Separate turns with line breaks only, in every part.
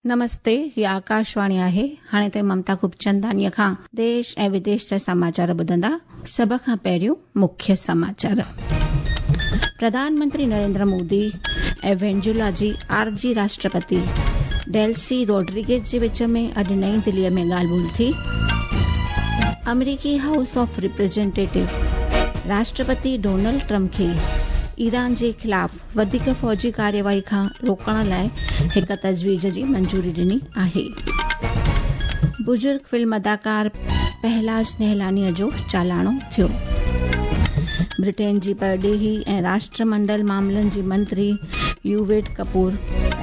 نمستي، هي آڪاشواڻي آهي. هاڻي توهين ممتا خوبچنداڻيء کان ديش ۽ وديش جا سماچار ٻڌندا. سڀ کان پهريون مکيه سماچار. پرڌان منتري نريندر مودي ۽ وينزويلا جي عارضي راشٽرپتي ڊيلسي روڊريگيز جي وچ ۾ اڄ نئين دهليء ۾ ڳالهه ٻولهه ٿي. آمريڪي house of representative Rashtrapati Donald Trump کي ايران جي خلاف وڌيڪ فوجي ڪارروائي کان روڪڻ لاء هڪ تجويز جي منظوري ڏني آهي. بزرگ فلم اداڪار پهلاج نهلانيء جو چالاڻو ٿيو. برٽين جي پرڏيهي ۽ راشٽر منڊل معاملن جي منتري يوويٽ ڪپور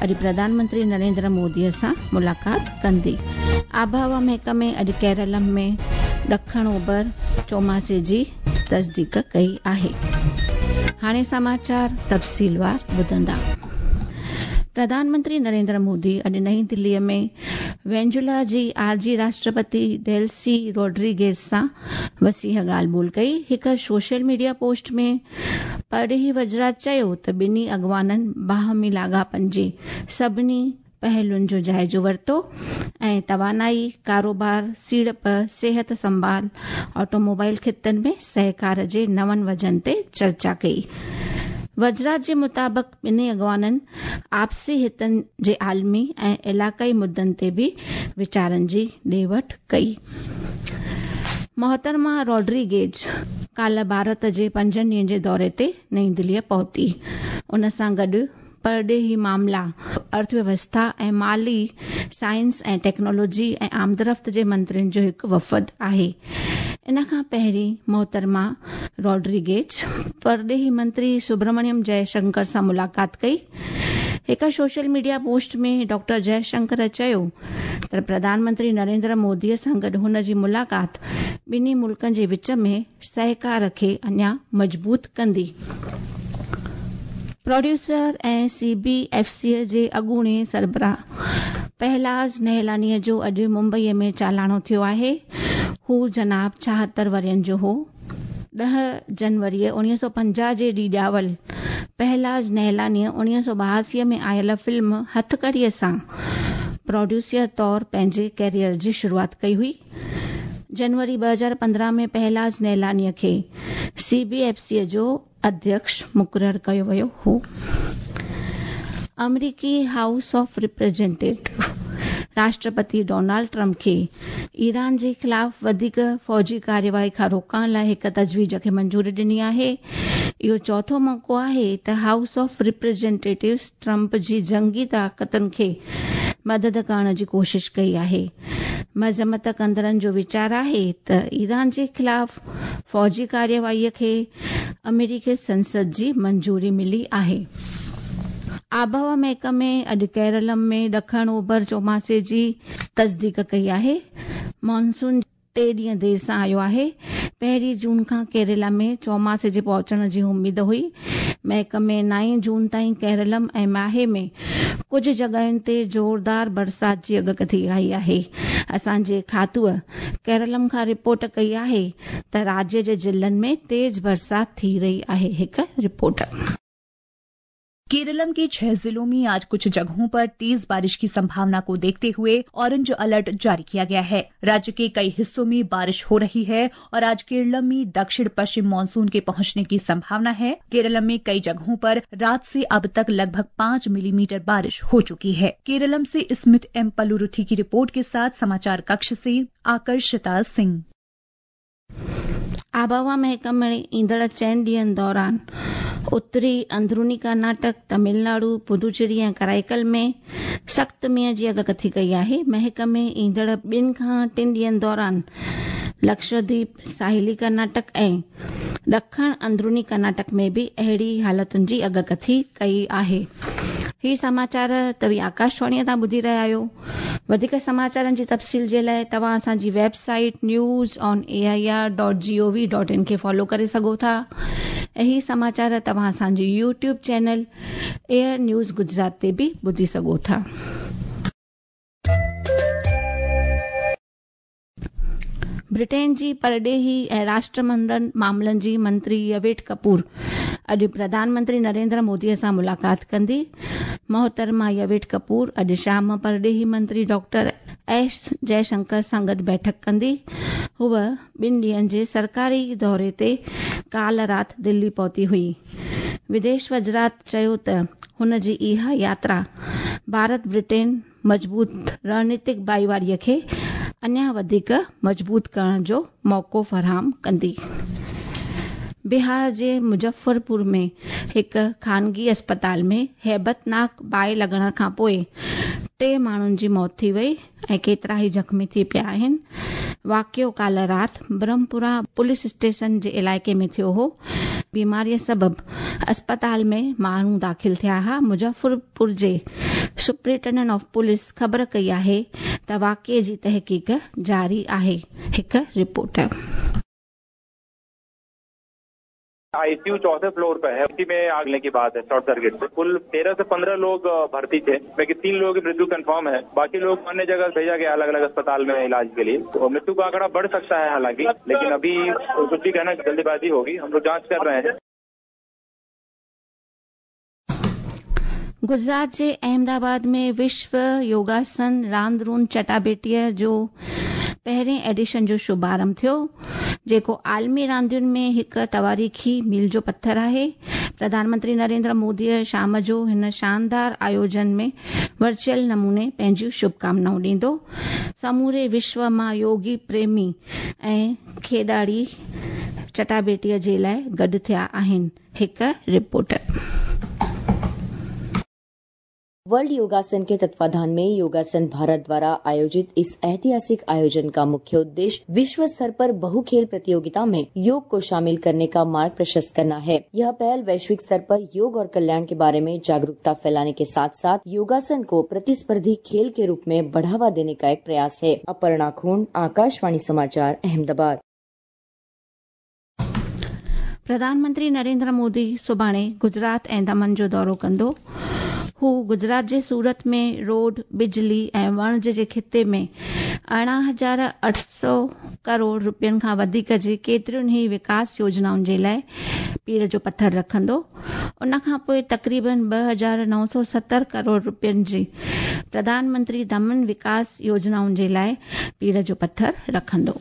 اڄ پرڌان منتري نريندر مودي سان ملاقات ڪندي. آبهوا محڪمي اڄ ڪيرلم ۾ ڏکڻ اوڀر چوماسي جي تصديق ڪئي آهي. هاڻي سماچار تفصيلوار ٻڌندا. پرڌان منتري نريندر مودي اڄ نئين دهلي ۾ وينزويلا جي عارضي راشٽرپتي ڊيلسي روڊريگيز سان وسيع ڳالهه ٻولهه ڪئي. هڪ سوشل ميڊيا پوسٽ ۾ پرڏيهي وزارت چيو ته ٻنهي اڳواڻن باهمي لاڳاپن جي سڀني پهلوئن جو جائزو ورتو ۽ توانائي، ڪاروبار، سيڙپ، صحت سنڀال، آٽوموبائل خطن ۾ سهڪار جي نون وجهن تي چرچا ڪئي. وزارت جي مطابق ٻنهي اڳواڻن آپسي هتن جي عالمي ۽ علائقائي مدن تي به ويچارن جي ڏي وٺ ڪئي. محترمه روڊريگيز ڪالهه ڀارت جي پنجن ڏينهن جي دوري تي نئين دهليء پهتي. ان سان گڏ پرڏيهي معاملا، ارٿ ويوسٿا ۽ مالي، سائنس ۽ ٽيڪنالاجي ۽ آمدرفت جي منترين جو هڪ وفد آهي. ان کان پهرين محترمه روڊريگيز پرڏيهي منتري سبرامڻيم جئه شنڪر سان ملاقات ڪئي. هڪ social media post ۾ doctor Jai Shankar چيو ته پرڌان منتري نريندر مودي سان گڏ هن جي ملاقات ٻنهي ملڪن جي وچ ۾ سهڪار کي اڃا مضبوط ڪندي. Producer ۽ C B F C جي اڳوڻي سربراهه پهلاج نهلانيء جو اڄ ممبئيء ۾ چالاڻو ٿيو آهي. هو جناب 76 ورهين جو هو. 10 جنوريء 1950 جي ڏينهن ڄاول پهلاج نهلانيء 1982 ۾ آيل فلم هٿڪڙيء سان پروڊيوسر طور پنهنجي ڪيريئر جي شروعات ڪئي هئي. جنوري 2015 ۾ پهلاج نهلانيء کي سي بي ايف سيء جو اڌيڪش مقرر ڪيو ويو هو. آمريڪي house of representative Rashtrapati Donald Trump کي ايران جي خلاف وڌيڪ فوجي ڪارروائي کان روڪڻ لاء هڪ تجويز کي منظوري ڏني آهي. اهو چوٿون موقعو آهي ته هائوس آف ريپريزينٽيٽوز ٽرمپ جي جنگي طاقتن کي مدد ڪرڻ جي ڪوشش ڪئي آهي. مذمت ڪندڙن جو ويچار آهي ته ايران جي خلاف فوجي ڪارروائي کي آمريڪي سنسد جي منظوري ملي آهي. آبهوا محڪمي اڄ ڪيرلم ۾ ڏکڻ اوڀر چوماسي جي تصديق ڪئي آهي. مانسون ٽي ڏينهن دير سان آيو آهي. پهرين جون کان ڪيرلا ۾ چوماسي جي پهچڻ جي اميد هئي. محڪمي نائين جون تائين ڪيرلم ۽ ماهي ۾ ڪجهه جڳهين تي زوردار برسات جي اڳڪٿي ڪئي آهي. اسان جي کاتوء ڪيرلم کان رپورٽ ڪئي آهي ته راجيه جي ضلعن ۾ تيز برسات ٿي رهي آهي. هڪ رپورٽ.
केरलम के 6 जिलों में आज कुछ जगहों पर तेज बारिश की संभावना को देखते हुए ऑरेंज अलर्ट जारी किया गया है। राज्य के कई हिस्सों में बारिश हो रही है और आज केरलम में दक्षिण पश्चिम मानसून के पहुंचने की संभावना है। केरलम में कई जगहों पर रात से अब तक लगभग 5 मिलीमीटर बारिश हो चुकी है। केरलम से स्मित एम पलुरुथी की रिपोर्ट के साथ समाचार कक्ष से आकर्षिता सिंह।
आबहवा महकमे ईंदड़ चइनि ॾींहंनि दौरान उत्तरी अंदरूनी कर्नाटक, तमिलनाडु, पुदुचेरी ऐं कराईकल में सख़्तु मींहं जी अॻकथी कई आहे। महकमे ईंदड़ ॿिनि खां टिनि ॾींहंनि दौरान लक्षद्वीप, साहिली कर्नाटक ऐं ॾखण अंदरूनी कर्नाटक में बि अहिड़ी हालतुनि जी अॻकथी कई आहे। ही समाचार तव्हीं आकाशवाणीअ तां ॿुधी रहिया आहियो। वधीक समाचारनि जी तफ़सील जे लाइ तव्हां असांजी website news on A I R dot G O V dot in खे फॉलो करे सघो था ऐं ही समाचार तव्हां असांजी YouTube channel air news Gujarat ते बि ॿुधी सघो था। ब्रिटेन जी परॾेही ऐं राष्ट्रमंडल मामलनि जी मंत्री यवेट कपूर اڄ پرڌان منتري نريندر موديءَ سان ملاقات ڪندي. محترمه يويٽ ڪپور اڄ شام پرڏيهي منتري ڊاڪٽر ايس جئشنڪر سان گڏ بيٺڪ ڪندي. هوءَ ٻن ڏينهن جي سرڪاري دوري تي ڪالهه رات دلي پهتي هئي. وديش وزارت چيو ته هن جي اها ياترا ڀارت برٽين مضبوط رڻنيتڪ ڀائيواريءَ کي اڃا وڌيڪ مضبوط ڪرڻ جو موقعو فراهم ڪندي. بهار جي مظفرپور ۾ هڪ خانگي اسپتال ۾ هيبتناڪ باهه لڳڻ کان پوءِ ٽي ماڻهن جي موت ٿي وئي ۽ ڪيترا ئي زخمي ٿي پيا آهن. واقعو ڪالهه رات برهمپورا پوليس اسٽيشن جي علائقي ۾ ٿيو هو. بيماريءَ سبب اسپتال ۾ ماڻهو داخل ٿيا هئا. مظفرپور جي سپرنٽينڊنٽ آف پوليس خبر ڪئي آهي ته واقعي جي تحقيق جاري آهي. هڪ رپورٽ.
आईसीयू चौथे फ्लोर पे है, उसी में आग लगने की बात है। शॉर्ट सर्किट से कुल 13 से 15 लोग भर्ती थे, लेकिन 3 लोगों की मृत्यु कंफर्म है। बाकी लोग अन्य जगह भेजा गया अलग अलग अस्पताल में इलाज के लिए। तो मृत्यु का आंकड़ा बढ़ सकता है हालांकि, लेकिन अभी कुछ भी कहना जल्दबाजी होगी। हम लोग जांच कर रहे हैं।
गुजरात जे अहमदाबाद में विश्व योगासन रांदरून चटाबेटीअ जो पहिरें एडिशन जो शुभारंभ थियो, जेको आलमी रांदियुनि में हिकु तवारीख़ी मील जो पथर आहे। प्रधानमंत्री नरेंद्र मोदीअ शाम जो हिन शानदार आयोजन में वर्चुअल नमूने पंहिंजूं शुभकामनाऊं ॾींदो। समूरे विश्व मां योगी प्रेमी ऐं खेॾाड़ी चटाबेटीअ जे लाइ गॾु थिया आहिनि। हिकु रिपोर्ट।
वर्ल्ड योगासन के तत्वाधान में योगासन भारत द्वारा आयोजित इस ऐतिहासिक आयोजन का मुख्य उद्देश्य विश्व स्तर पर बहु खेल प्रतियोगिता में योग को शामिल करने का मार्ग प्रशस्त करना है। यह पहल वैश्विक स्तर पर योग और कल्याण के बारे में जागरूकता फैलाने के साथ साथ योगासन को प्रतिस्पर्धी खेल के रूप में बढ़ावा देने का एक प्रयास है। अपर्णा खून, आकाशवाणी समाचार, अहमदाबाद।
प्रधानमंत्री नरेंद्र मोदी सुभाणे गुजरात ऐं दमन जो दौरो कंदो। हू गुजरात जे सूरत में रोड, बिजली ऐं वणज जे खिते में 18,800 करोड़ रुपयनि खां वधीक जे केतिरियुनि ई विकास योजनाउनि जे लाइ पीड़ जो पथर रखंदो। उन खां पोइ तक़रीबन 2,970 करोड़ रुपयनि जी प्रधानमंत्री दमन विकास योजनाउनि जे लाइ पीड़ जो पथर रखंदो।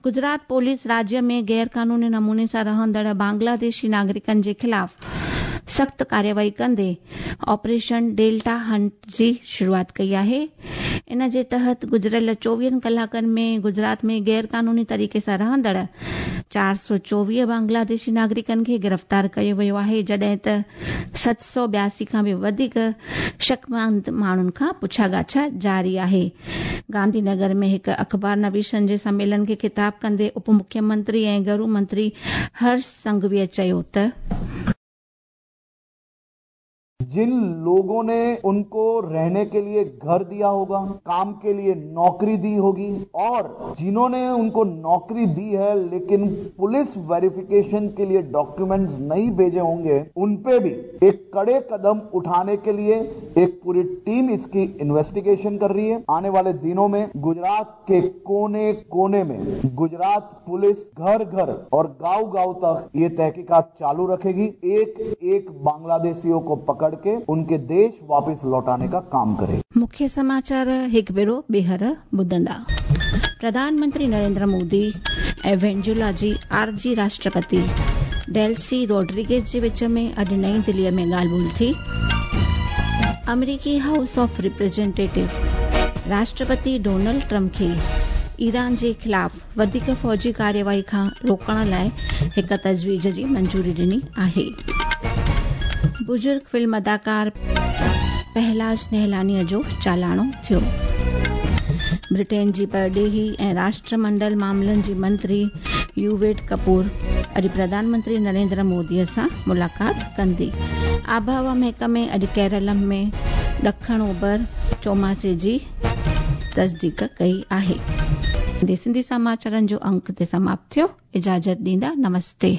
गुजरात पुलिस राज्य में गैर कानूनी नमूने सां रहंदड़ बांग्लादेशी नागरिकनि जे ख़िलाफ़ सख़्त कार्यवाही कंदे ऑपरेशन डेल्टा हंट जी शुरूआत कई आहे। इन जे तहत गुज़िरियल 24 कलाकनि में गुजरात में गैर कानूनी तरीक़े सां रहंदड़ 424 बांग्लादेशी नागरिकनि खे गिरफ़्तार कयो वियो आहे, जॾहिं त 782 खां बि वधीक शकमंद माण्हुनि खां पुछा ॻाछा जारी आहे। गांधीनगर में हिकु अख़बार नवीसनि जे सम्मेलन खे ख़िताब कंदे उप मुख्यमंत्री ऐं घरू मंत्री हर्ष संघवीअ चयो त
जिन लोगों ने उनको रहने के लिए घर दिया होगा, काम के लिए नौकरी दी होगी, और जिन्होंने उनको नौकरी दी है लेकिन पुलिस वेरिफिकेशन के लिए डॉक्यूमेंट्स नहीं भेजे होंगे, उन पे भी एक कड़े कदम उठाने के लिए एक पूरी टीम इसकी इन्वेस्टिगेशन कर रही है। आने वाले दिनों में गुजरात के कोने कोने में गुजरात पुलिस घर घर और गांव गांव तक ये तहकीकात चालू रखेगी। एक एक बांग्लादेशियों को पकड़ के उनके देश वापस लौटाने का काम करे।
मुख्य समाचार हिक भेरो ॿीहर ॿुधंदा। प्रधानमंत्री नरेंद्र मोदी ऐं वेनेजुएला जी आरजी राष्ट्रपति डेल्सी रोड्रिगेज जे विच में अॼु नई दिल्लीअ में ॻाल्हि ॿोल थी। अमरीकी हाउस ऑफ रिप्रेजेंटेटिव राष्ट्रपति डोनाल्ड ट्रंप खे ईरान जे ख़िलाफ़ वधीक फ़ौजी कार्यवाही खां रोकण लाइ हिकु तजवीज़ जी मंजूरी ॾिनी आहे। बुज़ुर्ग फिल्म अदाकार पहलाज नहलानीअ जो चालाणो थियो। ब्रिटेन जी परॾेही ऐं राष्ट्रमंडल मामलनि जी मंत्री यूवेट कपूर अॼु प्रधानमंत्री नरेंद्र मोदीअ सां मुलाक़ात कंदी। आबहवा महकमे अॼु केरल में ॾखण ओभर चौमासे जी तस्दीक कई आहे। सिंधी समाचारनि जो अंक ते समाप्त थियो। इजाज़त ॾींदा, नमस्ते।